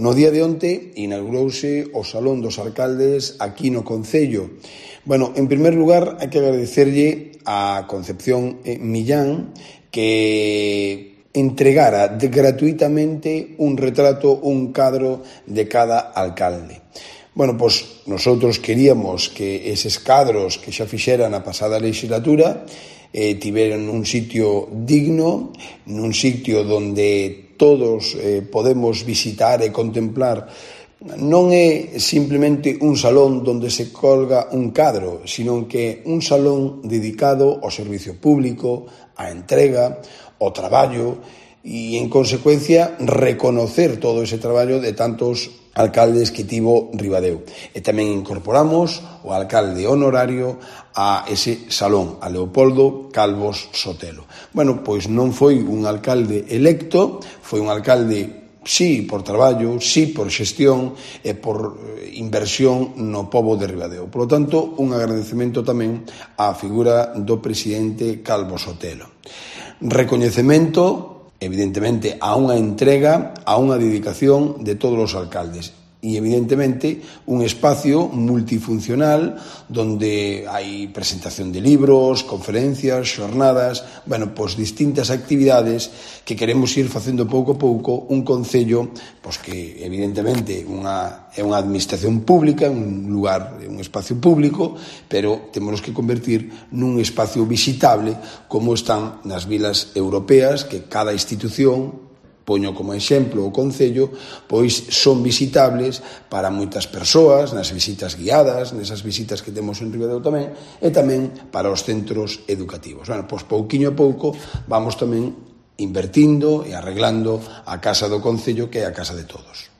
No día de onte inaugurouse o Salón dos Alcaldes aquí no Concello. Bueno, en primer lugar, hai que agradecerlle a Concepción Millán que entregara gratuitamente un retrato, un cadro de cada alcalde. Bueno, pois nosotros queríamos que eses cadros que xa fixeran a pasada legislatura tiveran un sitio digno, nun sitio donde todos podemos visitar e contemplar. Non é simplemente un salón donde se colga un cadro, sino que un salón dedicado ao servicio público, á entrega, ao traballo e, en consecuencia, reconocer todo ese traballo de tantos alcaldes que tivo Ribadeo. E tamén incorporamos o alcalde honorario a ese salón, a Leopoldo Calvos Sotelo. Bueno, pois non foi un alcalde electo, foi un alcalde, sí, por traballo, sí, por xestión e por inversión no pobo de Ribadeo. Por lo tanto, un agradecemento tamén á figura do presidente Calvos Sotelo. Recoñecemento, evidentemente, a unha entrega, a unha dedicación de todos os alcaldes. E, evidentemente, un espacio multifuncional donde hai presentación de libros, conferencias, xornadas, bueno, pois distintas actividades que queremos ir facendo pouco a pouco un concello, pois que, evidentemente, é unha administración pública, un lugar, un espacio público, pero temos que convertir nun espacio visitable como están nas vilas europeas, que cada institución, poño como exemplo o Concello, pois son visitables para moitas persoas, nas visitas guiadas, nesas visitas que temos en Ribadeo tamén, e tamén para os centros educativos. Bueno, pois pouquiño a pouco vamos tamén invertindo e arreglando a casa do Concello, que é a casa de todos.